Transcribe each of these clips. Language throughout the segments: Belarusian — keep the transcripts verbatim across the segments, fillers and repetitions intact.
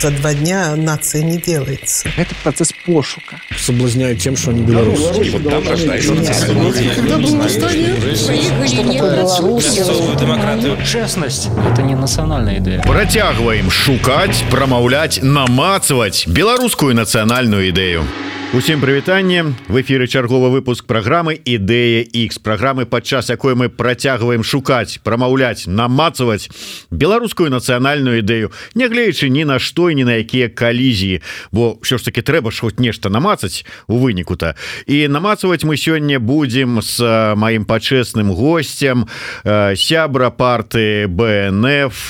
за два дня нация не делается. Это процесс пошука. Соблазняют тем, что они белорусы. Вот там рождаются демократию. Честность – это не национальная идея. Працягваем шукаць, прамаўляць, намацваць беларускую нацыянальную ідэю. Усім прывітанне. В эфіры чарговы выпуск праграмы «Ідэя Х», праграмы, падчас якой мы працягваем шукаць, прамаўляць, намацваць беларускую нацыянальную ідэю, нягледзячы ні на што і ні на якія калізіі, бо ўсё ж таки трэба ж хоць нешта намацаць у выніку-то. І намацваць мы сёння будзем з маім пачэсным госцем, сябра партыі Бэ Эн Эф,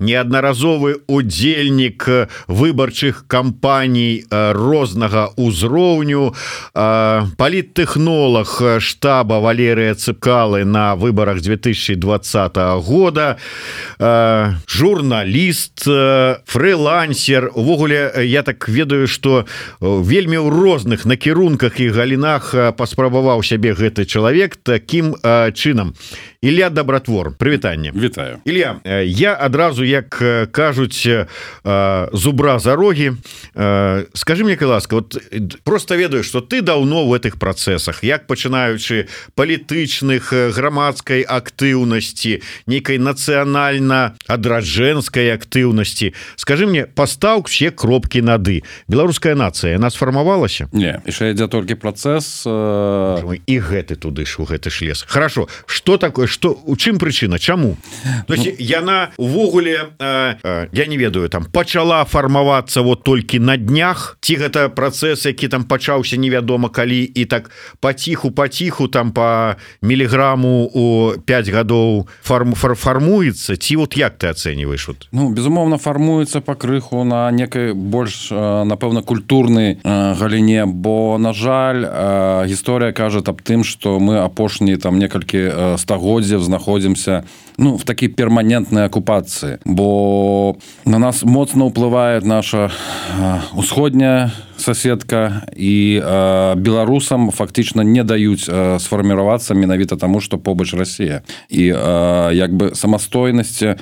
неаднаразовы удзельнік выбарчых кампаній рознага ўзроўню, паліттэхнолог штаба Валерыя Цыпкалы на выборах две тысячи двадцатого года, журналіст, фрилансер. Увогуле, я так ведаю, что вельмі ў розных накірунках і галінах паспрабаваў сябе гэты чалавек таким чынам. Ілля Добратвор, прывітанне. Вітаю. Ілля, я адразу, як кажуць, зубра за рогі. Скажи мне, ласка, вот просто ведаю, что ты давно в этих процессах, як пачынаючы палітычных, грамадскай актыўнасці, нейкай нацыянальна-адраджэнскай актыўнасці. Скажи мне, пастаў все кропкі над «и». Беларуская нацыя, яна сфармавалася? Не, яшчэ ідзе толькі працэс. Э... І гэты туды ж, у гэты ж лес. Хорошо, что такое, что, у чым прычына, чаму? То есть, ну... яна увогуле, э, э, я не ведаю, там, пачала фармавацца вот толькі на днях, ці гэта працэс, які там пачаўся невядома калі, і так паціху паціху там по міліграму у пять гадоў фарм, фар, фармуецца, ці вот як ты ацэньваеш? Вот? Ну, безумоўна, фармуецца пакрыху на некай больш, напэўна, культурнай галіне, бо, на жаль, гісторыя кажа аб тым, што мы апошнія там некалькі стагоддзяў знаходзімся, ну, в такой перманентной оккупации, бо на нас моцна ўплывае наша усходняя соседка, и э, беларусам фактично не даюць э, сфарміравацца менавіта таму, што побач Россия. И э, як бы самастойнасць э,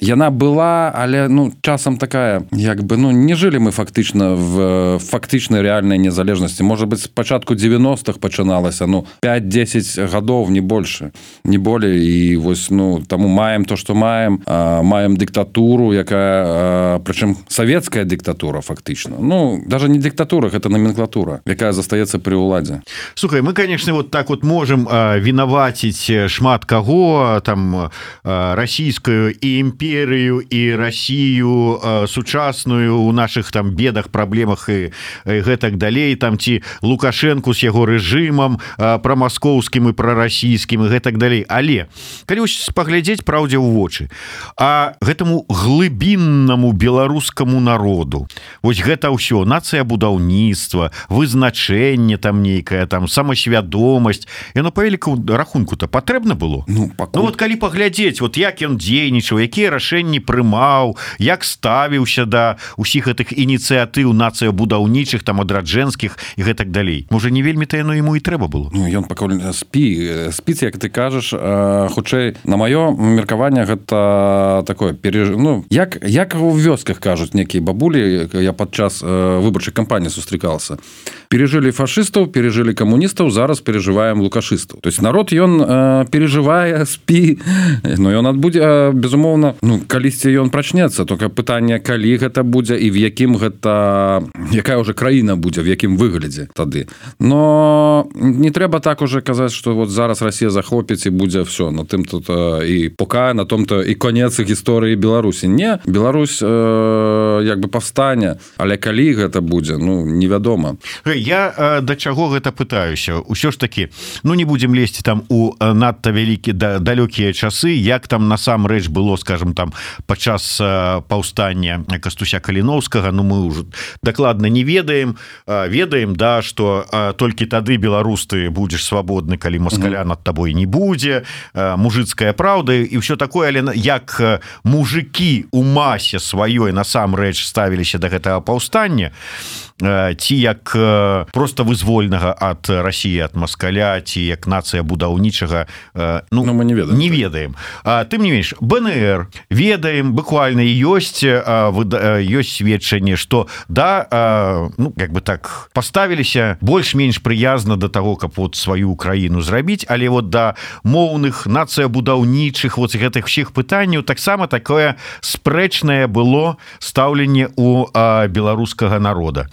яна была, але ну часам такая, як бы ну не жылі мы фактично в фактычнай реальнай незалежнасці. Может быть, с пачатку девяностых пачыналася, ну пять-десять гадоў, не больше, не более. И вось ну таму маем то, что маем, э, маем диктатуру, якая э, прычым советская диктатура фактично. Ну даже не диктатура, это номенклатура, якая застаецца при уладзе. Слухай, мы, конечно, вот так вот можем э, вінаваціць шмат каго, там э, расійскую і імперію, і Россию э, сучасную у наших там бедах, праблемах і, і гэтак далей, там ці Лукашенко с яго рэжымам э, прамаскоўскім і прарасійскім і гэтак далей. Але калі паглядзець праўдзе ў вочы, а гэтаму глыбіннаму беларускаму народу, вось гэта ўсё, нацыя будаўніцтва, вызначэнне там нейкая, там самасвядомасць, яно па великому рахунку-то патрэбна было? Ну, пакуль... ну вот калі паглядзець, вот як ён дзейнічаў, якія рашэнні прымаў, як ставіўся да усіх гэтых ініцыятыў нацыябудаўнічых, там адраджэнскіх і гэтак далей. Можа, не вельмі-то яно яму і трэба было? Ну, ён пакуль спі, спіць, як ты кажаш, хутчэй, на маё меркаванне, гэта такое, переж... ну, як, як у вёсках кажуць некія бабулі, я падчас выбарчай кампании сустракался. Пережили фашистов, пережили коммунистов, зараз переживаем лукашистов. То есть народ, ён э, переживае, спі, но ён адбудзе, э, безумоўна, ну, калісьці ён прачнецца, только пытанне, калі гэта будзе і в якім гэта, якая уже краіна будзе, в якім выглядзе тады. Но не трэба так уже казаць, что вот зараз Россия захопіць і будзе все, на тым тут э, і пока, на том-то і конец гісторыі Беларусі. Не, Беларусь э, як бы паўстане, але калі гэта будзе, ну, невядома. Я э, да чаго гэта пытаюся? Усё ж таки, ну, не будзем лезці там у надта вялікі да, далёкія часы, як там насамрэч было, скажем, там падчас э, паўстання Кастуся Каліноўскага, ну, мы ўжо дакладна не ведаем, э, ведаем, да, што э, толькі тады беларус ты будзеш свабодны, калі маскаля над табой не будзе, э, мужыцкая праўда і ўсё такое, але як мужыкі у масе сваёй насамрэч ставіліся да гэтага паўстання, ці як просто вызвольнага ад России, ад москаля, ці як нацыя будаўнічага, ну, ну мы не ведаем не ведаем. Тым не менш, БНР ведаем, буквально ёсць ёсць сведчанне, что да, ну как бы так поставіліся больш-менш прыязна до того, каб вот сваю Украіну зрабіць, але вот да моўных, нацыя будаўнічых вот гэтых всіх пытанняў таксама такое спрэчнае было стаўленне у беларускага народа.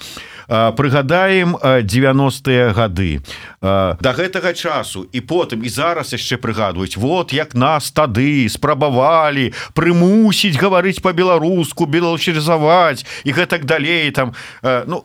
Прыгадаем девяностыя гады до гэтага часу і потым і зараз яшчэ прыгадваюць, вот як нас тады спрабавалі прымусіць гаварыць по-беларуску, беларусізаваць і гэтак далей там, ну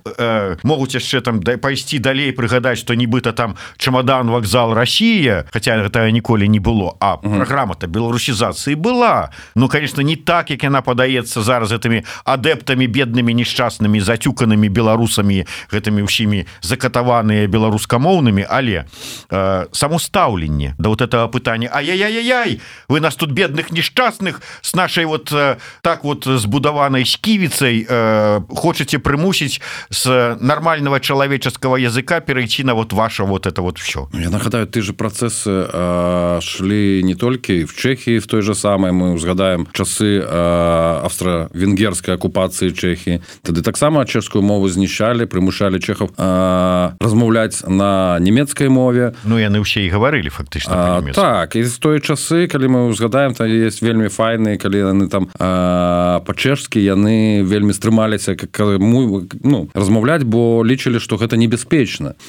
могуць яшчэ там пайсці далей прыгадаць, што нібыта там чамадан вакзал Россия, хотя гэта ніколі не было, а праграма-то беларусізацыі была. Ну конечно не так, як яна падаецца зараз гэтымі адэптамі беднымі несчаснымі зацюканымі беларусамі, гэтымі ўсімі закатаваныя беларускамоўнымі, але э, само стаўленне да вот этого пытання: ай-яй-яй-яй, вы нас тут бедных несчастных с нашей вот э, так вот збудаванай сківіцай э, хочаце прымусіць с нормального человеческого языка перейти на вот ваше вот это вот все. Я нагадаю, ты же процессы э, шли не только в Чехии, в той же самой, мы узгадаем часы э, австро-венгерской оккупации Чехии, тады таксама чешскую мову знішчалі, прымушалі чехаў э, размаўляць на нямецкай мове. Ну яны ўсе і гаварылі фактычна па-нямецку. Так, і з той часы, калі мы узгадаем, там есть вельмі файныя, калі яны там э, па-чэшскі яны вельмі стрымаліся ну, размаўляць, бо лічылі, што гэта небяспечна.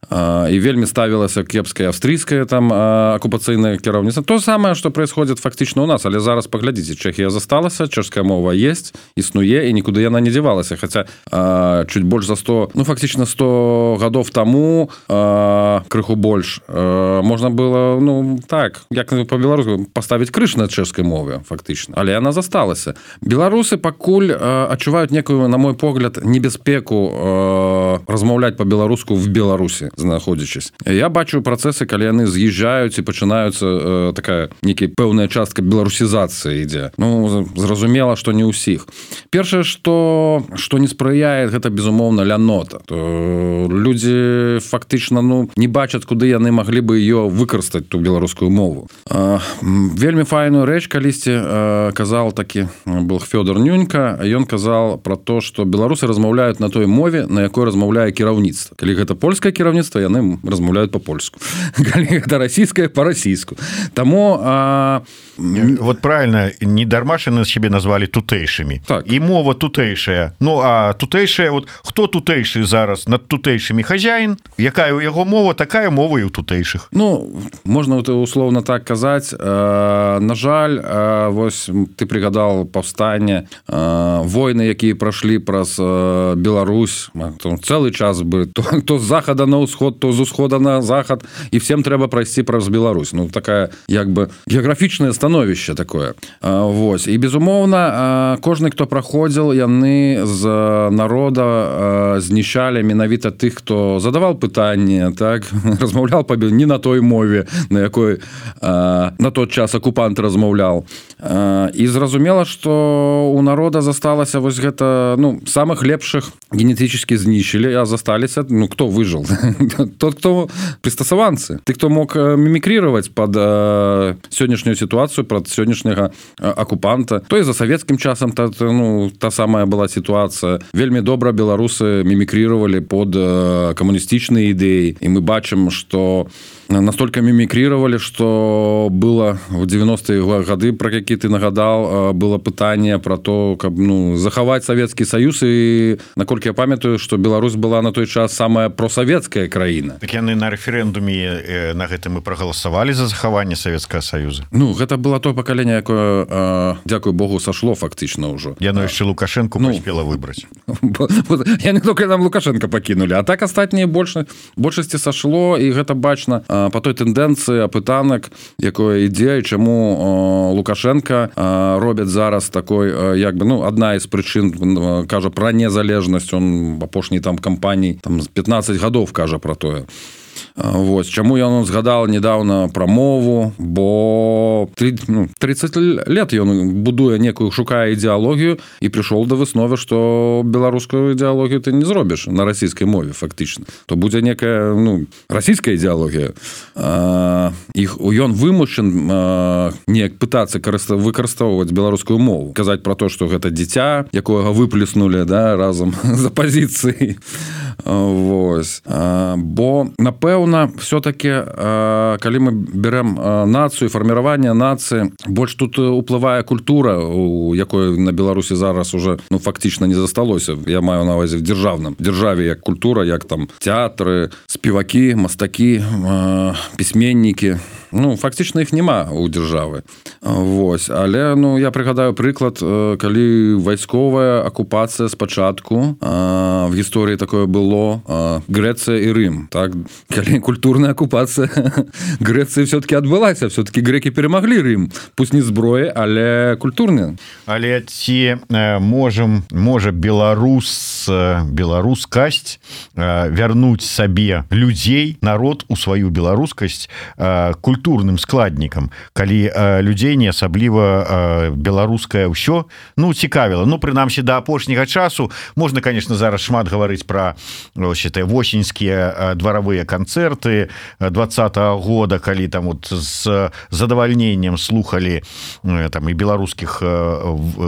Э, і вельмі ставілася кепская австрийская там э, оккупацыйная кіраўніцтва. То самае, што происходит фактычна у нас, але зараз паглядзіце, Чэхія засталася, чэшская мова есть, існуе, і нікуды яна не дзявалася, хаця э, чуть больш за сто, ну фактично сто гадоў таму, э, крыху больш, э, можна было, ну так, як по-беларуску поставіць крыш на чэшскай мове фактычна, але яна засталася. Беларусы пакуль э, адчуваюць некую, на мой погляд, небяспеку э, размаўляць по-беларуску в Беларусі знаходзячись. Я бачу працэсы, калі яны з'язджаюць і пачынаюцца э, такая некая пэўная частка беларусізацыі ідзе. Ну зразумела, што не ўсіх. Першае, што што не спрыяе, гэта безумоўна лянота. То людзі фактычна ну не бачаць, куды яны маглі бы ее выкарыстаць, ту беларускую мову. А, вельмі файную рэч калісьці а, казал такі был Фёдор Нюнька, ён казал про то, что беларусы размаўляюць на той мове, на якой размаўляе кіраўніцтва. Калі гэта польскае кіраўніцтва, яны размаўляюць по-польску. Калі гэта расійскае, по-расійску. Таму а... вот правильно, не дарма ж яны себе назвалі тутэйшымі. Так. І мова тутэйшая. Ну а тутэйшая, вот хто тутэйшы зараз над тутэйшымі хазяін, якая у яго мова, такая мова і у тутэйшых. Ну, можна условно так казаць. Э, на жаль, э, вось ты прыгадал паўстанне, э, войны, якія прашлі праз э, Беларусь, цэлы час бы то, то з захада на ўсход, то з усхода на захад, і всем трэба прайсці праз Беларусь. Ну, такая, як бы, геаграфічнае становішча такое. Э, вось. І, безумоўна, э, кожны, хто праходзіл, яны з народа э, знішчалі менавіта тых, хто задавал пытанне, так, размаўлял па не на той мове, на якой э, на тот час акупант размаўлял. Э, і зразумела, што у народа засталася вось гэта, ну, самых лепшых генетически знішчылі, а засталіся, ну, кто выжил? Тот, кто пристасаванцы. Ты, кто мог мімікрировать под э, сённяшнюю ситуацию, под сённяшняга э, акупанта. То и за советским часом та, ну, та самая была ситуация. Вельмі добра беларусы мімікрировали под э, коммунистичные идеи. И мы бачим, что настолько мимикрировали, что было в девяностые годы, про какие ты нагадал, было пытание про то, как, ну, захавать Советский Союз, и, наколькі я памятаю, что Беларусь была на той час самая просоветская краіна. Так яны на референдуме на гэтым и проголосовали за захаванне Советского Союза. Ну, гэта было то пакаленне, якое, дзякуй Богу, сошло фактично уже. Яно яшчэ Лукашенко ну, поспела выбрать. Я не только нам Лукашенко покинули, а так астатнія большасці сошло, и гэта бачна по той тэндэнцыі апытанак, якое ідзе, чаму Лукашенко робяць зараз такой, як бы, ну, одна из прычын, кажа про незалежнасць, он апошняй там кампаній там пятнадцать гадоў кажа про тое. Вось чаму ён згадал недавно пра мову, бо тридцать лет ён будуе некую, шукае ідэалогію і прыйшоў да высновы, што беларускую ідэалогію ты не зробіш на расійскай мове фактычна, то будзе некая ну, расійская ідэалогія. Іх ён вымушан неяк пытацца выкарыстоўваць беларускую мову, казаць пра то, што гэта дзіця, якога выплеснули да, разам з апазіцыяй. Вось. Бо напэўна все-таки калі мы берем нацыю, фарміраванне нацыі, больш тут уплывае культура, у якой на Беларусі зараз уже ну фактычна не засталося. Я маю на увазе в дзяржаўным дзяржаве як культура, як там тэатры, спевакі, мастакі, пісьменнікі. Ну, фактычна іх няма у дзяржавы. Вось. Але ну, я прыгадаю прыклад, калі вайсковая акупацыя спачатку в гісторыі такое было Грэцыя і Рым. Так? Калі культурная акупацыя Грэцыі все-таки адбылася, все-таки грэкі перамаглі Рым. Пусть не зброі, але культурныя. Але ці можам, можа беларус, беларускасць вярнуць сабе людзей, народ у сваю беларускасць культурную культурным складнікам, калі э, людзей не асабліва э, беларускае ўсё ну цікавіла. Ну прынамсі да апошняга часу можна, конечно, зараз шмат гаварыць пра восеньскія дваравыя канцэрты двадцатого года, калі там вот з задавальненнем слухали э, там і беларускіх э,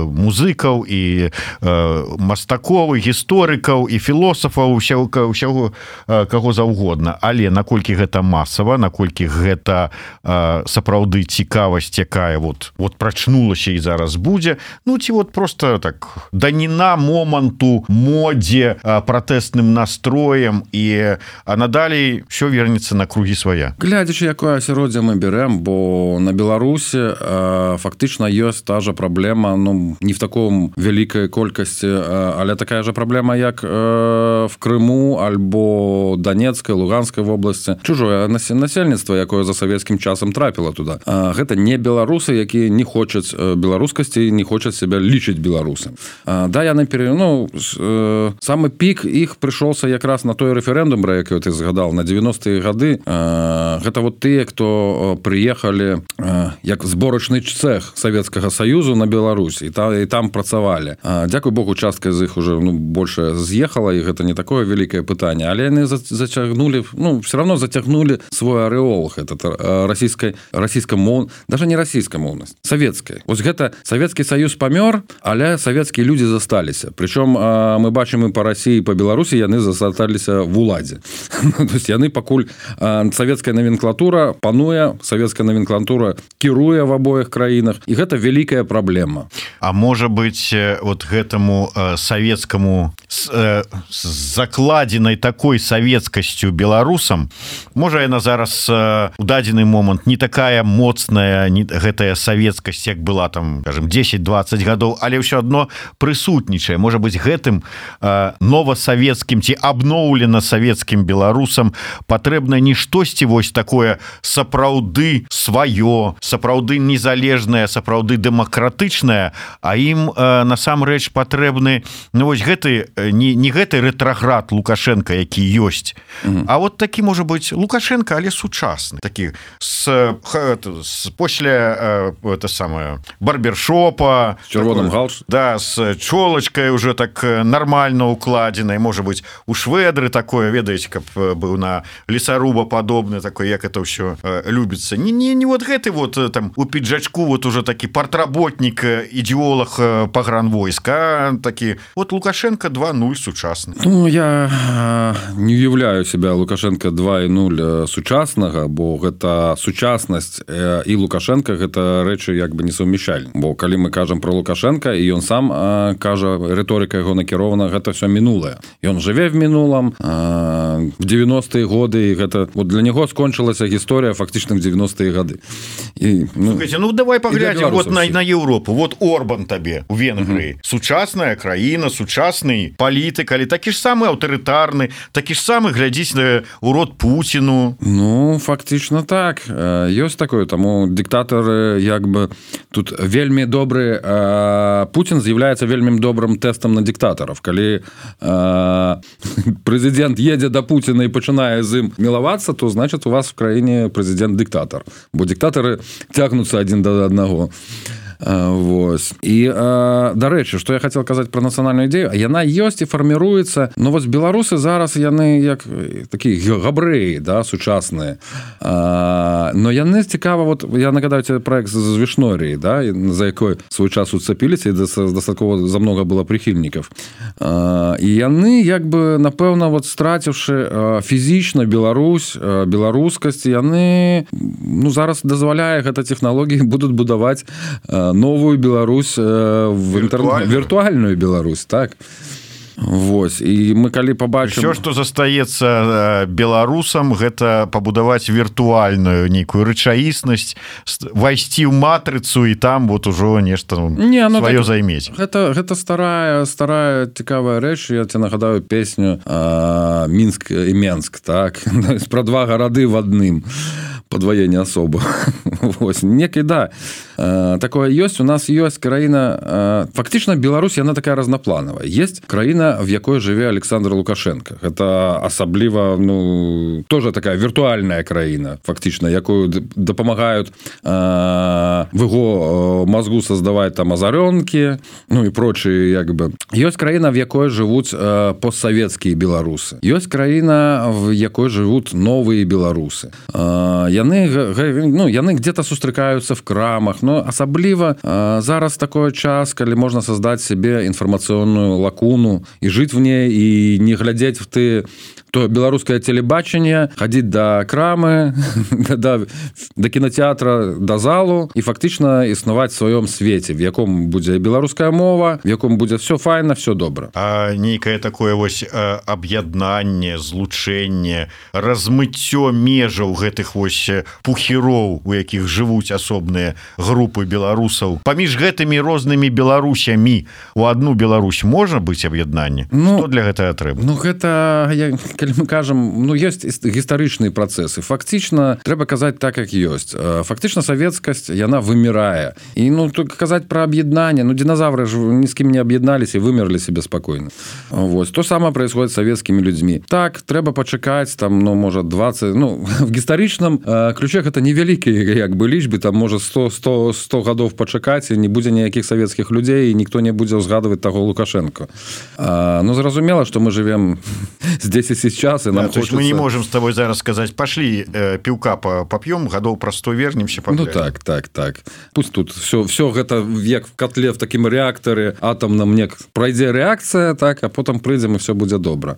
музыкаў і э, мастакоў, гісторыкаў і філосафаў, усяго, усяго э, каго заўгодна. Але наколькі гэта масава, наколькі гэта сапраўды цікавасць, якая вот, вот прачнулася і зараз будзе, ну ці вот просто так даніна моманту, модзе, пратэсным настроем і а надалей ўсё вернецца на кругі свая. Глядзячы, якое асяроддзе мы берем, бо на Беларусі фактычна ёсць та же праблема, ну не в таком вялікай колькасці, але такая же праблема, як в Крыму альбо Донецкай, Луганскай вобласці. Чужое насельніцтва, якое за савецкім часам трапіла туда. Гэта не беларусы, якія не хочуць беларускасці, не хочуць себя лічыць беларусам. Да, яны пере... ну, самы пік іх прыйшоўся якраз на той рэферэндум, пра які ты згадал, на девяностыя гады. Гэта вот тыя, хто прыехалі як зборачны цэх Савецкага Саюзу на Беларусь і там, і там працавалі. Дзякуй Богу, частка з іх уже ну, больше з'ехала, і гэта не такое вялікае пытанне, але яны зацягнули, ну, все равно зацягнули свой арэол, этот расійскай расійскамоў, даже не расійскамоўнасць, савецкая. Вось гэта Савецкі Саюз памёр, але савецкія людзі засталіся. Прычым мы бачым і па Расіі, і па Беларусі яны засталіся в уладзе. То есть яны пакуль савецкая номенклатура пануе, савецкая номенклатура кіруе в абоіх краінах, і гэта вялікая праблема. А можа быць вот гэтаму савецкаму з закладзенай такой савецкасцю беларусам, можа яна зараз у дадзены момант не такая моцная, не гэтая савецкасць, як была там, скажем, десять-двадцать гадоў, але ўсё адно прысутнічае. Можа быць, гэтым э, новасавецкім ці абноўлена савецкім беларусам патрэбна не штосьці вось такое сапраўды сваё, сапраўды незалежнае, сапраўды дэмакратычнае, а ім э, насамрэч патрэбны ну, вось гэты, не, не гэты рэтраград Лукашенко, які ёсць, mm-hmm. а вот такі можа быць Лукашенко, але сучасны, такі с, с после э, это самое барбершопа с чырвоным галстуком, да, с чолачкой уже так нормально укладзенай, может быть у шведры такое, ведаеце, каб быў на лесаруба падобны такой, як это ўсё э, любіцца, не, не, не вот гэты вот там у пиджачку вот уже такі партработнік, ідеолог э, пагранвойска, такі вот Лукашенко два ноль сучасны. Ну я э, не уяўляю себя Лукашенко два ноль сучаснага, бо гэта сучаснасць і Лукашенко гэта рэчы як бы несумяшальны. Бо калі мы кажам про Лукашенко і ён сам а, кажа, рыторыка яго накірована, гэта все мінулае. Ён жыве в мінулым, а, в девяностыя годы, і гэта вот для него скончылася гісторыя фактычна в девяностыя гады. І, ну, слухайте, ну давай паглядзім вот на, на Еўропу. Вот Орбан табе у Венгрыі. Uh-huh. Сучасная краіна, сучасны палітык, але такі ж самы аўтарытарны, такі ж самы глядзіць на урод Пуціну. Ну, фактычна так. Ёсць такое, таму дыктатары як бы тут вельмі добры, Путін з'яўляецца вельмі добрым тэстам на дыктатараў. Калі прэзідэнт едзе да да Путина і пачынае з ім мілавацца, то значит у вас в краіне прэзідэнт-дыктатар, бо дыктатары цягнуцца адзін да аднаго. Вось. І дарэчы, што я хацеў казаць пра нацыянальную ідэю, яна ёсць і фарміруецца. Ну вось беларусы зараз яны як такія габрэі, да, сучасныя. Но яны цікава, вот я нагадаю тебе проект з Вішноріі, да, за якой свой час уцепіліся і дастаткова за много было прыхільнікаў. І яны як бы напэўна вот страціўшы фізічна Беларусь, беларускасць, яны ну зараз дазваляе гэта тэхналогіі будуць будаваць новую Беларусь в інтэрнэт, віртуальную Беларусь, так. Вось, і мы калі пабачым... Все, што застаецца беларусам, гэта пабудаваць віртуальную нейкую рэчаіснасць, вайсці ў матрыцу і там вот ужо нешта не, ну, сваё займець. Гэта, гэта старая, старая цікавая рэч, я тебе нагадаю песню а, Мінск і Менск, так, пра два гарады в адным. Подвоение особо. Вось. Некий, да, такое есть. У нас есть краина... Фактично, Беларусь, она такая разноплановая. Есть краина, в якой живе Александр Лукашенко. Это особливо, ну, тоже такая виртуальная краина, фактично, якую допомагают в его мозгу создавать там озаренки, ну и прочие, как бы. Есть краина, в якой живут постсоветские белорусы. Есть краина, в якой живут новые белорусы. Яны, ну, яны где-то сустракаюцца в крамах, но асабліва зараз такой час, калі можна создать себе информационную лакуну и жить в ней, и не глядеть в ты то беларускае телебачанне, ходить до крамы, до, до кинотеатра, до залу и фактично існаваць в сваём свеце, в яком будзе беларуская мова, в яком будзе все файна, все добра. А нейкае такое вось аб'яднанне, злучэнне, размыццё межаў гэтых вось пухіроў, у якіх жывуць асобныя групы беларусаў. Паміж гэтымі рознымі беларусямі у одну Беларусь можа быць аб'яднанне? Ну, што для гэтага трэба? Ну, гэта, я, калі мы кажам, ну, ёсць гістарычныя працэсы. Фактычна, трэба казаць так, як ёсць. Фактычна, савецкасць, яна вымірае. І, ну, казаць пра аб'яднанне, ну, динозавры ж ні з кім не аб'ядналіся і вымерлі себе спакойна. Вось. То самае происходит з савецкімі людзьмі. Так, трэба пачакаць, там, ну, можа, двадцать, ну, в гістарычным ключе гэта невялікія як бы лічбы, там можа сто гадоў пачакаць і не будзе ніякіх савецкіх людзей і ніхто не будзе ўзгадваць таго Лукашенко. А, ну зразумела, што мы живем здесь і сейчас і нам да, хочется... мы не можем с тобой зараз сказаць пашлі э, піўка поп'ём, гадоў праз сто вернемся паглядзім. Ну так, так, так. Пусть тут все, все гэта як в котле в такім рэактары атомным нек пройдзе рэакцыя, так, а потом прыйдзем і все будзе добра.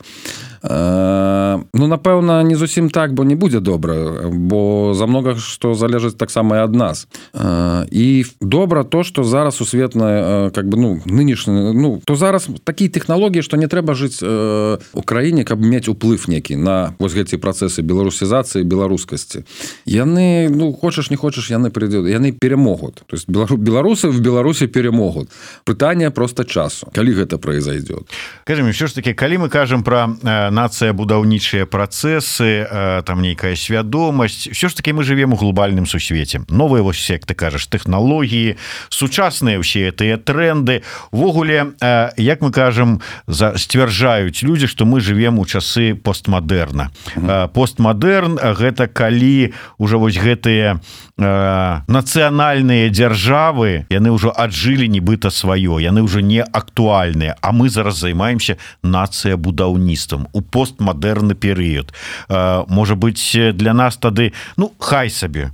А, ну напэўна не зусім так, бо не будзе добра, бо за много што залежыць таксама і ад нас. А, і добра то, што зараз усветная как бы ну нынешні, ну то зараз такія тэхналогіі, што не трэба жыць э, у краіне, каб мець уплыв некі на вось гэты працэсы беларусізацыі, беларускасці. Яны, ну хочаш не хочаш, яны прыйдуць, яны перамогуць. То есть беларусы в Беларусі перамогуць. Пытанне просто часу. Калі гэта произойдет? Кажем, все ж таки, калі мы кажам пра э, нацыя будаўнічыя працэсы, э, там нейкая свядомасць, все ж таки мы живем у глобальным сусвеце. Новыя вось, як ты кажаш, тэхналогіі, сучасныя ўсе гэтыя тренды. Увогуле, э, як мы кажам, за, сцвярджаюць людзі, што мы живем у часы постмадэрна. Mm-hmm. Постмадэрн гэта калі ўжо вось гэтыя нацыянальныя дзяржавы, яны ўжо аджылі нібыта сваё, яны ўжо не актуальныя, а мы зараз займаемся нацыя будаўніцтвам у постмадэрны перыяд. Можа быць, для нас тады, ну, хай сабе,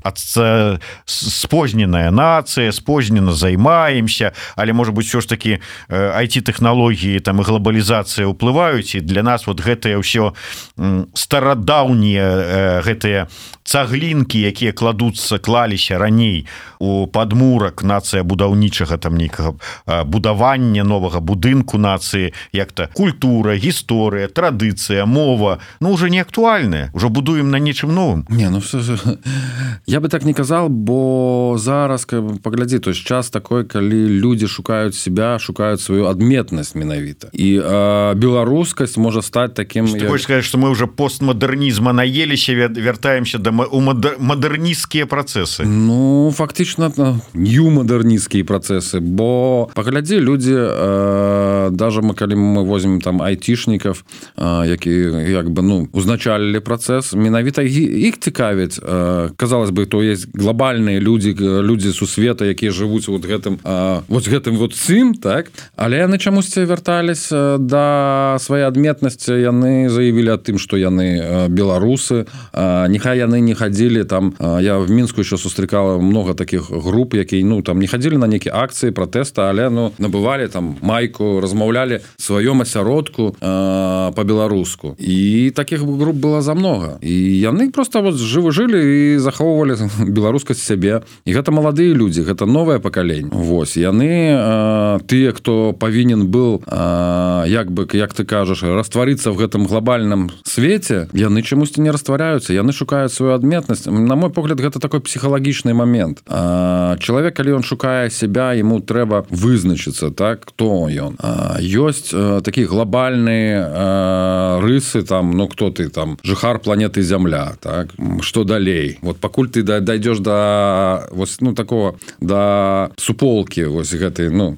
спозненая нацыя, спознена займаемся, але, можа быць, ўсё ж такі ай ти-тэхналогіі там і глобалізацыя ўплываюць, і для нас вот гэтыя ўсё старадаўнія гэтыя цаглінкі, якія кладуцца, клаліся раней у падмурак нацыя будаўнічага там нейкага будавання новага будынку нацыі, як-то культура, гісторыя, традыцыя, мова, ну уже не актуальная, уже будуем на нечым новым. Не, ну все, я бы так не казал, бо зараз паглядзі, то есть час такой, калі людзі шукаюць себя, шукаюць сваю адметнасць менавіта. І а, беларускасць можа стаць таким... Ты хочешь сказать, что мы уже постмодернизма наеліся, вяртаемся до у модерністскія працэсы? Ну, фактично, нью-модерністскія працэсы, бо, паглядзі, людзі, э, даже мы, калі мы возьмем там айтишников, э, які як бы ну узначалілі працэс, менавіта іх цікавіць. Казалось бы, то есть глобальныя людзі, людзі сусвета, якія жывуць вот гэтым вот гэтым вот цым, так? Але яны чамусьці вярталіся да свае адметнасці, яны заявілі аб тым, што яны беларусы, нехай яны не хадзілі там, я в Мінску еще сустракала много таких груп, якія ну там не хадзілі на нейкія акцыі пратэста, але ну набывалі там майку, размаўлялі сваём асяродку э, по-беларуску. І таких груп было за много. І яны просто вот жывы жылі і захоўвалі беларускасць сябе. І гэта маладыя людзі, гэта новае пакаленне. Вось, яны э, тыя, хто павінен быў э, як бы, як ты кажаш, растварыцца в гэтым глобальным свеце, яны чамусьці не растваряюцца, яны шукаюць сваю адметнасць. На мой погляд, гэта такой псіхалагічны момент. Э, чалавек, калі ён шукае сябе, яму трэба вызначыцца, так, хто ён. Э, ёсць э, такія глобальныя э, рысы, там, ну, кто ты, там, жыхар планеты Зямля, так, што далей? Вот пакуль ты дайдзеш да, вось, ну, такого, да суполкі, вось гэтай, ну,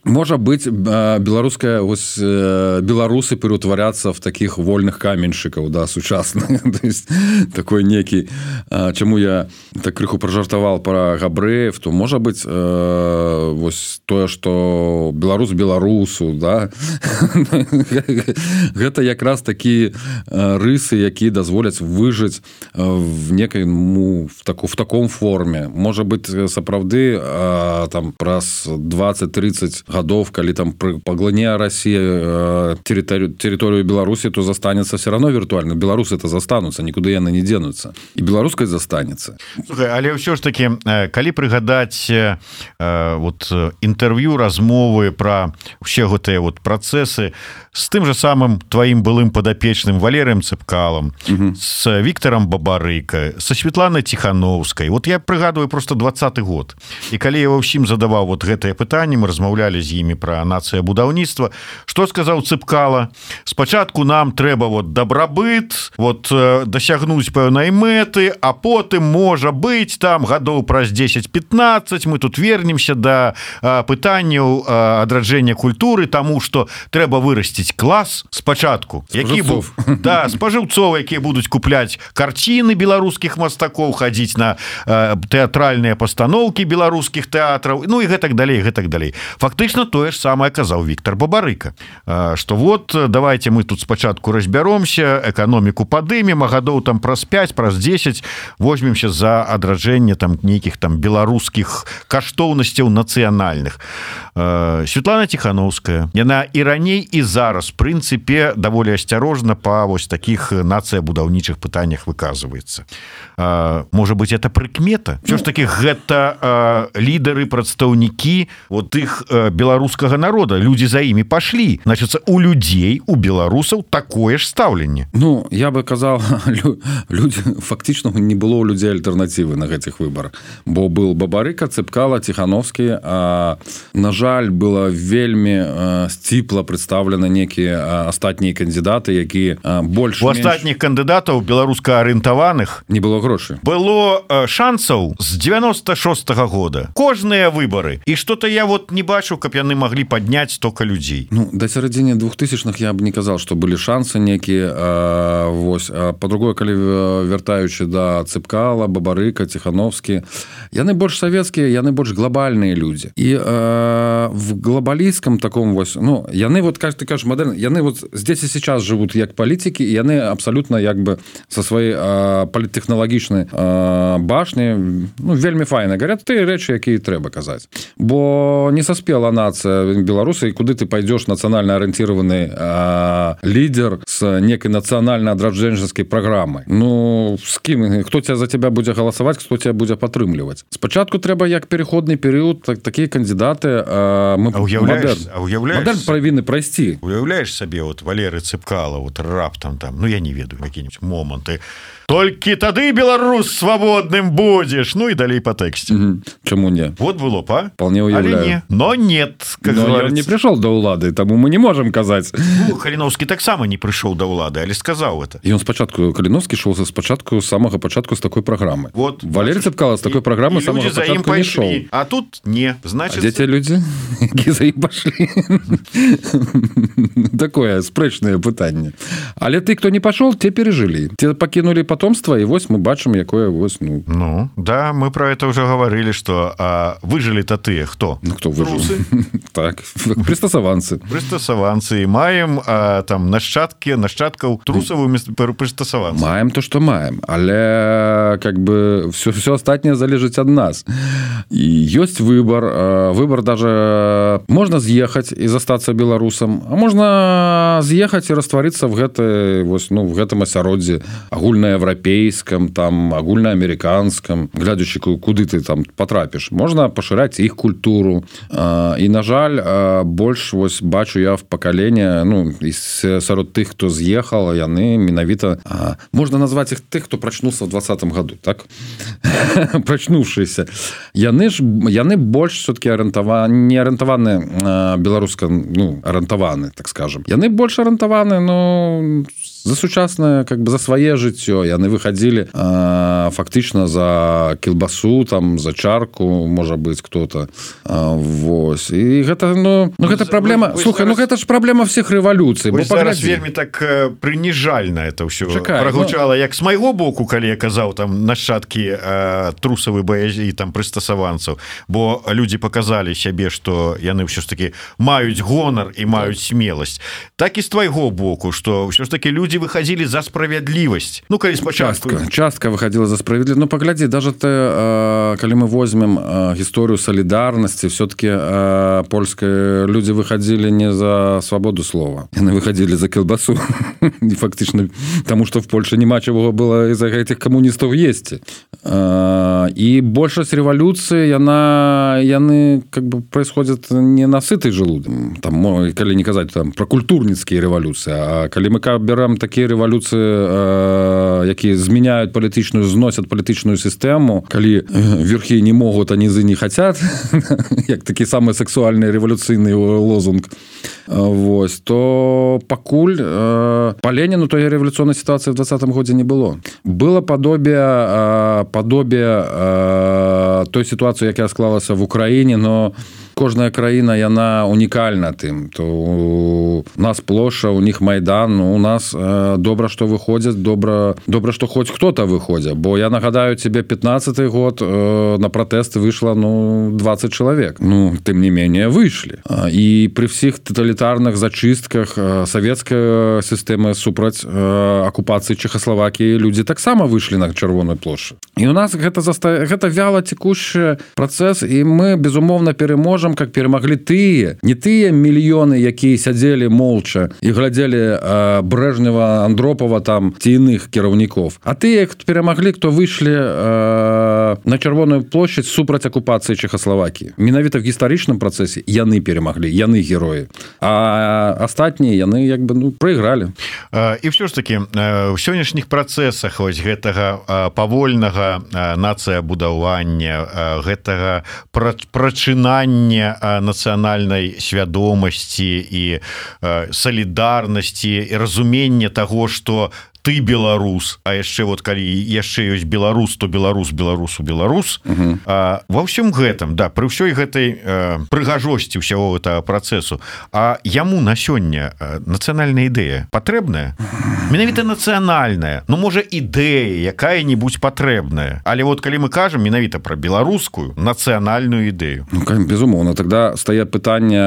можа быць, беларуская вось, беларусы пераўтварацца в таких вольных каменьшчыкаў, да, сучасных. То есть такой некі, чаму я так крыху пражартавал пра габрэев, то можа быць вось тое, што беларус беларусу, да. Гэта якраз такія рысы, якія дазволяць выжыць в некай, ну, в, таку, в таком форме. Можа быць, сапраўды там праз двадцать-тридцать годов, калі там паглыне Россия территорию, территорию Беларуси, то застанется все равно виртуально. Беларусы это застанутся, никуда яны не денутся. И беларускай застанется. Слухай, але ўсё ж таки, калі прыгадаць э, вот інтэрв'ю, размовы про ўсе гэтыя вот працэсы с тым же самым твоим былым подопечным Валерием Цепкалом, угу. с Виктором Бабарыка, со Светланой Тихановской. Вот я прыгадываю просто двадцаты год. И калі я ва ўсім задаваў вот гэтае пытанне, мы размаўлялі з імі про нацыя будаўніцтва, што сказаў Цепкала? Спачатку нам трэба вот дабрабыт, вот дасягнуць пэўнай мэты, а потым, можа быць, там гадоў праз дзесяць-пятнаццаць мы тут вернемся да пытанняў адраджэння культуры, таму што трэба вырасціць клас спачатку, які быў, да, спажыўцоў, якія будуць купляць карціны беларускіх мастакоў, хадзіць на э, тэатральныя пастаноўкі беларускіх тэатраў, ну і гэтак далей, гэтак далей. Фактычна тое ж самае казаў Віктор Бабарыка, э, што вот давайте мы тут спачатку разбяромся, эканоміку падымем, а гадоў там праз пяць, праз дзесяць возьмемся за адраджэнне там нейкіх там беларускіх каштоўнасцяў нацыянальных. Э, Светлана Тихановская, яна і раней і зараз в прынцыпе даволі асцярожна па вось таких нацыя-будаўнічых пытаннях выказваецца. А, можа быть, это прыкмета? Всё ж таки гэта а, лідары, прадстаўнікі вот іх а, беларускага народа, людзі за імі пашлі. Значыцца, у людзей, у беларусаў такое ж стаўленне. Ну, я бы казаў, людзі, фактычна не было у людзей альтэрнатывы на гэтых выбарах, бо был Бабарыка, Цепкала, Тихановскі, а, на жаль, было вельмі а, сціпла прадстаўлена некія астатнія кандидаты, якія больш у астатніх кандыдатаў беларуска-арыентаваных не было грошай. Было шансаў з девяносто шостого года. Кожныя выбары. І што-то я вот не бачу, каб яны маглі падняць столько людзей. Ну, да сярэдзіне двухтысячных я б не казаў, што былі шансы некія. Вось. Па-другое, калі вяртаючы да Цепкала, Бабарыка, Тихановскі, яны больш савецкія, яны больш глобальныя людзі. І э, в глобалісцкам таком вось, ну, яны вот, как ты кажешь, модерн, яны вот здесь и сейчас живут як политики, и яны абсолютно як бы со своей э, политтехналагічнай э, башни, ну, вельмі файна говорят ты рэчы, якія трэба казаць. Бо не саспела нацыя беларусы, і куды ты пойдешь нацыянальна арыентированы э, лидер с некой нацыянальна-адраджэнческай программой. Ну, с кім? Хто тебя за тебя будзе галасаваць, хто тебя будзе падтрымліваць? Спачатку трэба як переходный период, так, такие кандидаты э, мы, а уяўляеш, а уяўляеш, модерн павінны прайсці. Уяўляеш сабе вот Валеры Цепкала вот раптам там, ну я не ведаю, какие-нибудь моманты, толькі тады беларус свабодным будзеш, ну і далей по тэксце. Угу. Чаму не? Вот было па. Вполне уяўляю. Не. Но нет, как но он не пришел до улады, таму мы не можем казаць. Ну, Каліновскі таксама не прыйшоў да ўлады, але сказаў это. І он спачатку, Каліновскі шоў спачатку з самага пачатку з такой праграмы. Вот. Валерий Цепкала з такой праграмы з самага пачатку не шоў. А тут не, значит... А дзе те людзі, які за ім пашлі? Такое спрэчнае пытанне. пытанне. Але ты, хто не пашоў, те перажылі. Те пакінулі потомства, і вось мы бачым, якое вось, ну... Ну, да, мы про это уже говорили, что а, выжили-то ты, кто? Ну, кто выжил? Так, прыстасаванцы. Прыстасаванцы. І маем а, там нашчадкі, нашчадкаў трусавую прыстасаванцы. Маем то, что маем, але как бы все, все остатнее залежыць ад нас. І ёсць выбор. Выбор даже... Можно з'ехаць і застацца беларусам, а можна з'ехаць і растварыцца в гэтай, вось, ну, в гэтым асяроддзі агульнаеўрапейскам, там, агульнаамерыканскам, глядзячы, куды ты там потрапіш. Можна пашыраць іх культуру. І, на жаль, больш, вось, бачу я в пакаленне, ну, сярод тых, хто з'ехал, яны менавіта... Можна назваць іх тых, хто прачнуўся в двадцатым году, так? Прачнуўшыся. Яны ж, яны больш все-таки арыентаваны, не арыентаваны беларуска, ну, арыентаваны, так скажем. Яны больш арыентаваны, ну, за сучаснае, как бы за свае жыццё. Яны выходили э, фактычна за кілбасу, там, за чарку, можа быць, кто-то. Э, вось. І гэта, ну, ну гэта праблема... Вы, вы Слухай, зараз... ну гэта ж праблема всіх рэвалюцый. Вы зараз вельмі так э, прыніжальна это ўсё прагучала, ну... як з майго боку, калі я казаў, там, нашчадкі э, трусавы баязі, там, прыстасаванцаў, бо людзі показалі сябе, што яны ўсё ж таки маюць гонар і маюць смеласць. Так і з твайго боку, што ўсё ж таки людзі выходили за справедливость. Ну, калі спачатку... Частка, частка выходила за справедливость. Ну, погляди, даже ты, э, коли мы возьмем э, историю солидарности, все-таки э, польские люди выходили не за свободу слова. Они выходили за колбасу. И фактично, потому что в Польше нема чего было из-за этих коммунистов есть. Э, и большасць революции, она, яны как бы происходит не на сытый желудок. Там, коли не казать там, про культурніцкія революции, а коли мы берем такія рэвалюцыі, якія змяняюць палітычную, зносят палітычную сістэму, калі верхі не могуць, а нізы не хацят, як такі самы сексуальны рэвалюцыйны лозунг, вось, то пакуль па Леніну той рэвалюцыйнай сітуацыі в двадцатым годзе не было. Было падобие, падобие той сітуацыі, якая склалася в Украіне, но кожная краіна, яна унікальна тым. То у нас плошча, у них Майдан, у нас э, добра, што выходзяць, добра, добра, што хоць хто-то выходзя. Бо я нагадаю тебе, пятнадцатый год э, на пратэсты выйшла, ну, двадцать чалавек. Ну, тым не менее, выйшлі. І пры всіх тоталітарных зачыстках э, савецкая сістэма супраць э, акупацыі Чехаславакіі людзі таксама выйшлі на чырвоную плошчу. І у нас гэта, заста... гэта вяла цекущий працэс, і мы, безумоўна, переможем, как перамаглі тыя, не тыя мільёны, якія сядзелі молча і глядзелі э, Брежнева, Андропова там, ці іных кіраўнікоў. А тыя, хто перамаглі, хто выйшлі э, на чырвоную плошчадь супраць акупацыі Чехаславакіі. Менавіта в гістарычным працэсе яны перамаглі, яны героі. А астатнія, яны як бы, ну, прайгралі. І ўсё ж такі, ў сённяшніх працэсах вось гэтага павольнага нацыябудавання, гэтага прачынання нацыянальнай свядомасці і салідарнасці і разумення таго, што ты беларус, а яшчэ вот калі яшчэ ёсць беларус, то беларус, беларусу, беларус. Uh-huh. А, ва ўсім гэтым, да, пры ўсёй гэтай э, прыгажосці ўсяго гэтага працэсу, а яму на сёння э, нацыянальная ідэя патрэбная? Менавіта нацыянальная, ну, можа, ідэя якая-нибудь патрэбная. Але вот калі мы кажам менавіта пра беларускую нацыянальную ідэю. Ну, безумоўна, тогда стае пытанне,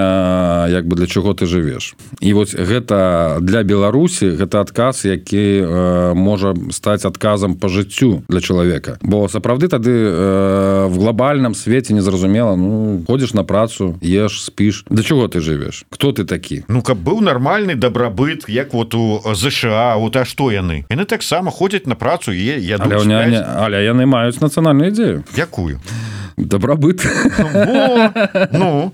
як бы для чаго ты жывеш. І вот гэта для Беларусі, гэта адказ, які можа стаць адказам по жыццю для чалавека. Бо сапраўды тады э, в глобальным свеце незразумела, ну, ходзіш на працу, еш, спіш. Для чаго ты жывеш? Хто ты такі? Ну, каб быў нармальны дабрабыт, як вот у ЗША, вот, а што яны? Яны таксама ходзяць на працу і ядуць. Але, не, але яны маюць нацыянальную ідзею. Якую? Добробыт. Во, ну,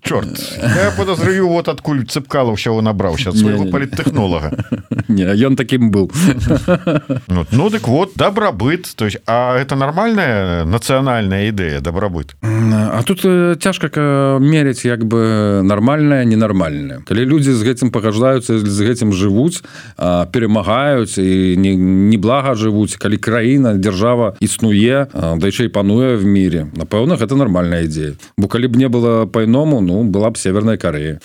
чорт. Я подозрюю, вот адкуль Цыпкало ўсяго набраўся, ад свайго паліттэхнолага. Не, ён таким был. Ну, ну, так вот, добробыт. То есть, а это нормальная национальная идея, добробыт? А тут цяжка мерить, як бы, нормальное, ненормальное. Калі люди з гэтым пагаждаюцца, з гэтым жывуць, перемагаюць і неблага жывуць, калі краіна, дзяржава існуе, да яшчэ і пануе в мире, напэўна, гэта нормальная ідея. Бо калі б не было па-іному, ну, была б Северная Корея.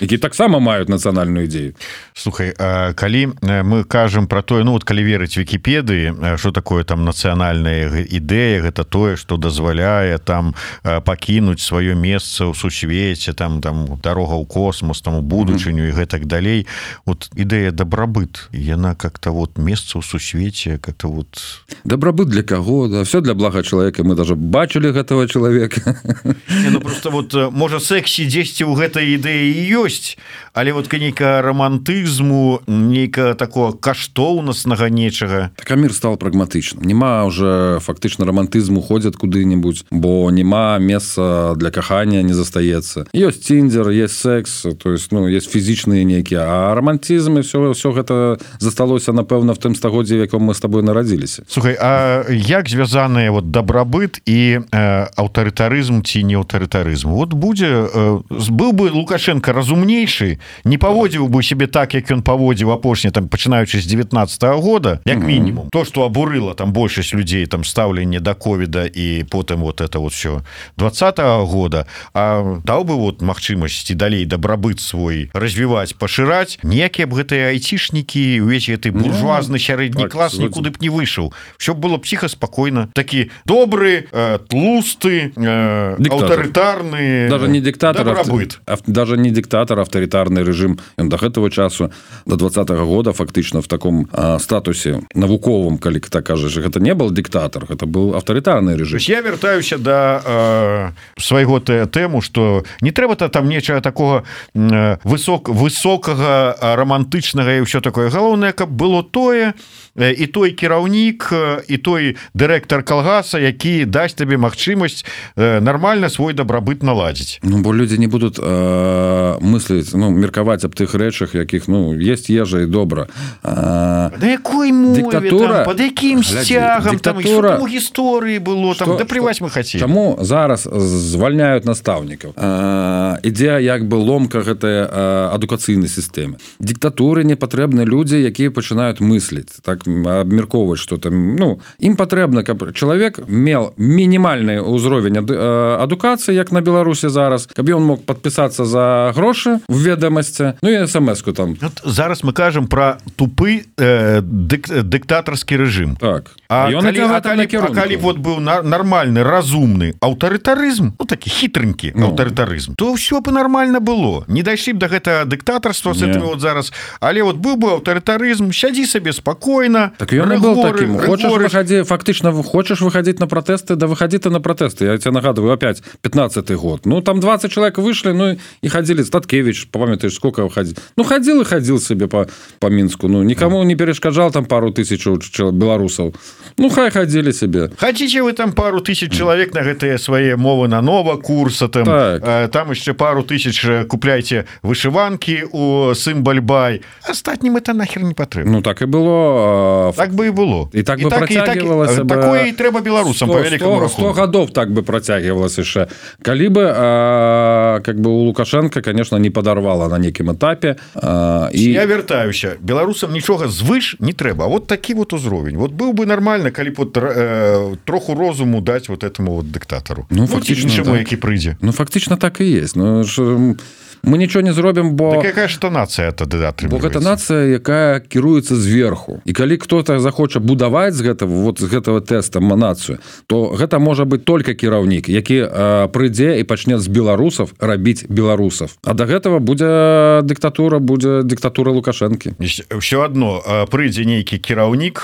які таксама маюць нацыянальную ідею. Слухай, калі мы кажам про тое, ну вот калі верыць Вікіпедыі, что такое там нацыянальная ідэя, гэта тое, что дазваляе там пакінуць сваё месца ў сусвеце, там там дарога ў космос, там у будучыню mm-hmm. і гэтак далей. Вот ідэя дабрабыт, яна как-то вот месца ў сусвеце, как-то вот дабрабыт для каго? Да, все для блага чалавека. Мы даже бачылі гэтага чалавека. Не, ну просто вот можа сексі дзесьці ў гэтай ідэі ёсць, але вот нейкага романтызму, нейкага такого каштоўнаснага нечага. Так, а мир стал прагматычным. Нема уже фактычна романтызму ходзяць куды-нибудь, бо нема месца для кахання не застаецца. Ёсць тиндер, есть секс, то есть, ну, есть фізічныя нейкія, а романтизм і все, все гэта засталося, напэўна, в тым стагоддзі, в яком мы с тобой нарадзіліся. Слухай, а як звязаныя вот дабрабыт і э, аўтарытарызм ці не аўтарытарызм? Вот будзе, э, быў бы Лукашенко разумнейшы, не паводзіў бы себе так, як ён паводзіў апошні, там, пачынаючы з девятнадцатого года, як мінімум. Mm-hmm. То, что абурыла там большасць людзей, там, стаўленне да ковіда і потым вот это вот все двадцатого года, а даў бы вот магчымасць і далей дабрабыт свой развіваць, пашыраць, ніякія б гэтыя айцішнікі, увесь гэты буржуазны сярэдні так, клас нікуды б не выйшаў. Все было псіха спакойна. Такі добры, э, тлусты, э, аўтарытарны даже не диктатор, дабрабыт. Ав... даже не диктатор, аўтарытарны рэжым. Ён да гэтага часу, до двадцатого года фактычна в таком э, статусе навуковым, калі так кажаш, гэта не был диктатор, гэта был аўтарытарны рэжым. Я вяртаюся да э, свайго тэму, што не трэба-то там нечага такого э, высок, высокага, романтычнага і ўсё такое. Галоўнае, каб было тое, і той кіраўнік, і той дырэктар калгаса, які дасць табе магчымасць нармальна свой дабрабыт наладзіць. Ну, бо людзі не будуць э, мысліць, ну, меркаваць аб тых рэчах, якіх, ну, есть ежа і добра. А... Да якой мове, диктатура... там, под якім сцягам, диктатура... там, што там у гісторыі было, там, да плеваць мы хацелі. Чаму зараз звальняюць настаўнікаў? Э, ідзе як бы ломка гэтай э, адукацыйнай сістэме. Дыктатуры не патрэбны людзі, якія пачынаюць мысліць, так, абмяркоўваць, што там, ну, ім патрэбна, каб чалавек меў мінімальны ўзровень адукацыі, як на Беларусі зараз, каб ён мог падпісацца за грошы в ведамасці, ну і эс-эм-эску там. Вот зараз мы кажам пра тупы э, дык, дыктатарскі рэжым. Так. А, а, калі, а, калі, а калі вот быў на, нармальны, разумны аўтарытарызм, ну такі хітрынькі ну. аўтарытарызм, то ўсё бы нармальна было. Не дайшлі б да гэтага дыктатарства з гэтымі вот зараз, але вот быў бы аўтарытарызм, сядзі сабе спакойна. Так ён і был таким. Хочаш выходи, фактично хочешь выходить на протесты, да выходи ты на протесты. Я тебе нагадываю, опять пятнадцатый год. Ну, там двадцать человек вышли, ну, и ходили. Статкевич, помнишь, сколько выходил? Ну, ходил и ходил себе по, по Минску. Ну, никому не перешкоджал там пару тысяч белорусов. Ну, хай ходили себе. Хотите вы там пару тысяч человек на гэтые свои мовы на нова курса, там, э, там еще пару тысяч купляйте вышиванки у Сымбальбай. Остатним это нахер не потребно. Ну, так и было. Так бы і было. І так бы працягвалася бы... Такое і трэба беларусам, по вялікаму рахунку. сто гадоў так бы працягвалася яшчэ. Калі бы, а, как бы у Лукашенко, конечно, не падарвала на нейкім этапе. А, і... Я вяртаюся. Беларусам нічога звыш не трэба. А вот такі вот узровень. Вот быў бы нормально, калі б вот, э, троху розуму даць вот этому вот дыктатару. Ну, фактично, іншаму, так. Які прыйдзе. Ну, фактично так і есть. Ну, ж... Мы нічого не зробім, бо... Так якая ж то нацыя тады атрымліваецца? Бо гэта нацыя, якая кіруецца зверху. І калі кто-то захоча будаваць з гэтага, вот з гэтага тэста нацыю, то гэта можа быць толькі кіраўнік, які э, прыйдзе і пачне з беларусаў рабіць беларусаў. А да гэтага будзе дыктатура, будзе дыктатура Лукашэнкі. Ўсё адно, прыйдзе нейкі кіраўнік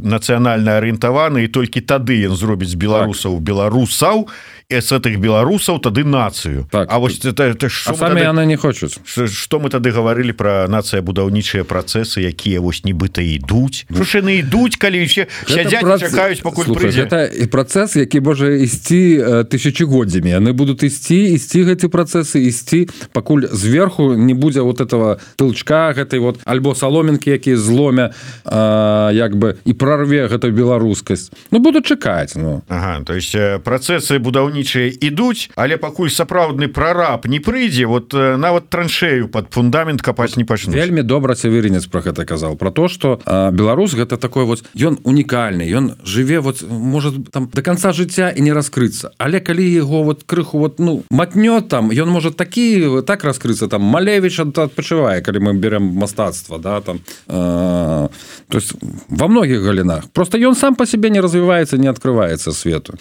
нацыянальна арыентаваны, і толькі тады ён зробіць з беларусаў так. беларусаў, і з гэтых беларусаў тады нацыю. Так. А вось это, это а самі яны не хочуць. Што мы тады гаварылі пра нацыябудаўнічыя працэсы, якія вось нібыта ідуць. Што ж яны ідуць, калі ўсе сядзяць прац... чакаюць, пакуль прыйдзе. Гэта працэс, які можа ісці тысячагоддзямі. Яны будуць ісці, ісці гэты працэсы, ісці, пакуль зверху не будзе вот этого тылчка гэтай вот, альбо саломінкі, якія зломя а, як бы і прарве гэтую беларускасць. Ну, будуць чакаць. Ну. Ага, то есть працэсы будаўні будаўнічыя ідуць, але пакуль сапраўдны прараб не прыйдзе, вот нават траншею под фундамент капаць не пачнуць. Вельмі добра Северинец про гэта казал, про то, что э, беларус гэта такой вот, ён унікальны, ён жыве вот может там до конца жыцця і не раскрыцца, але калі его вот крыху вот ну матнёт там, ён может такі так раскрыцца, там Малевич адпачывае, калі мы берем мастацтва, да, там э, то есть во многих галинах, просто ён сам по себе не развивается, не открывается свету.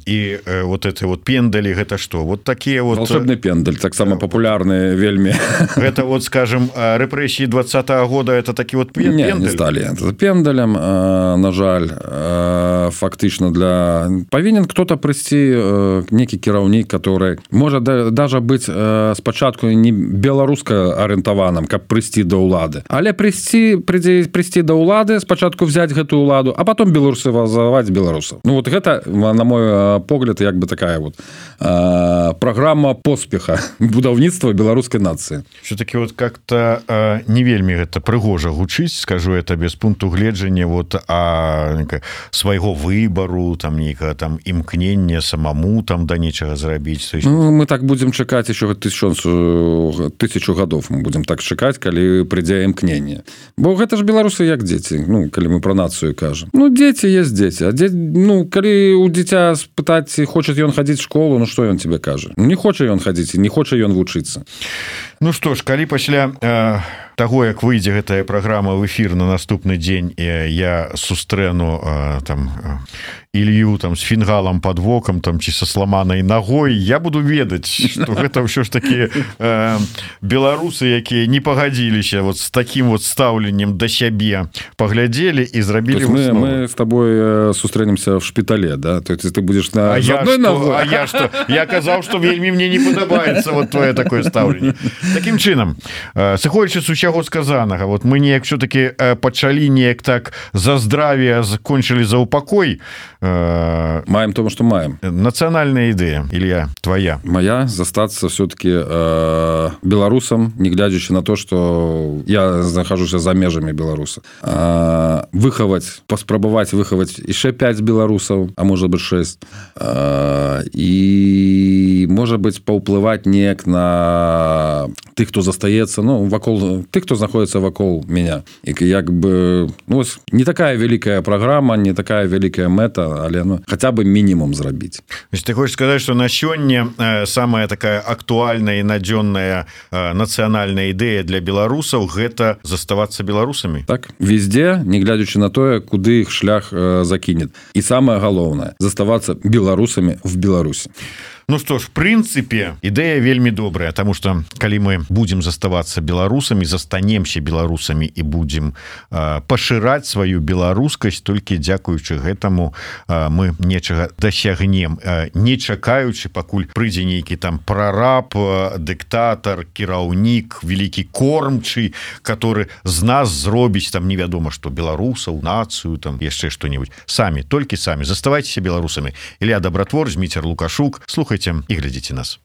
И э, вот это вот пендали, гэта что? Вот такие вот... Волшебный пендаль, так само популярные вельми. Это вот, скажем, репрессии двадцатого года, это такие вот пендали? Не, не стали это пендалем, э, на жаль, э, фактично для... Повинен кто-то прийти, э, некий кіраўнік, который может да, даже быть э, спочатку не белоруска ориентованным, как прийти до улады, але прийти, прийти, прийти до улады, спочатку взять гэту уладу, а потом белорусовать белорусов. Ну вот это, на мой погляд, як бы такая вот э, программа поспеха будаўніцтва беларускай нации. Все-таки вот как-то э, не вельмі это прыгожа гучыць, скажу это без пункту гледжання вот а свайго выбору, там нейкага там імкнення самому там да нечага зрабіць. Есть... Ну, мы так будем чакаць еще тысячу, тысячу гадоў мы будем так чакаць, калі прыйдзе імкненне. Бо гэта ж беларусы як дзеці, ну калі мы про нацию кажем. Ну дзеці есть дзеці, а дзеці, ну калі у дзіця спытаць, хочет ён хадзіць в школу, ну что ён тебе кажа? Не хоча ён хадзіць, не хоча ён вучыцца. Ну что ж, калі пасля э, таго, як выйдзе гэтая праграма в эфир на наступны дзень, э, я сустрэну э, там Илью там с фінгалам под вокам там ці со сламанай ногой, я буду ведаць, что гэта ўсё ж таки э, беларусы, якія не пагадзіліся вот с таким вот стаўленнем да сябе, паглядзелі і зрабілі мы, мы с тобой сустрэнемся в шпитале, да? То есть ты будешь на а я одной что, ногой. А я что? Я казаў, что вельмі мне не падабаецца вот твое такое стаўленне. Таким чынам, сыходзячы з усяго сказанага, вот мы неяк все-таки пачалі неяк так за здравие, закончили за упокой. Маем тому, что маем. Национальная идея, Илья, твоя. Моя застаться все-таки э, белорусом, не глядячи на то, что я нахожусь за межами Беларуси. Э, выховать, поспробовать выховать еще пять белорусов, а может быть шесть. Э, и, может быть, поуплывать неяк на тых, кто застаецца, ну, вакол, тых, кто находится вакол меня. И как бы, ну, не такая великая программа, не такая великая мета, але ну, хотя бы минимум зрабіць. Ты хочешь сказать, что на сёння э, самая такая актуальная и надзённая э, национальная идея для белорусов — гэта заставаться белорусами? Так, везде, не глядячи на то, куды их шлях э, закинет. И самое главное — заставаться белорусами в Беларуси. Ну что ж, в принципе, идея вельмі добрая, потому что калі мы будем заставаться белорусами, застанемся белорусами и будем э, пашыраць свою беларускасць, только дзякуючы гэтаму э, мы нечага дасягнем, э, не чакаючы, пакуль прыйдзе нейкі там прораб, э, дыктатор, кіраўнік, великий кормчий, который з нас зробіць там невядома что, беларусаў, нацию, там яшчэ что-нибудь. Сами, только сами заставайтесь белорусами. Илья Добротвор, Зміцер Лукашук. Слухайте и глядите нас.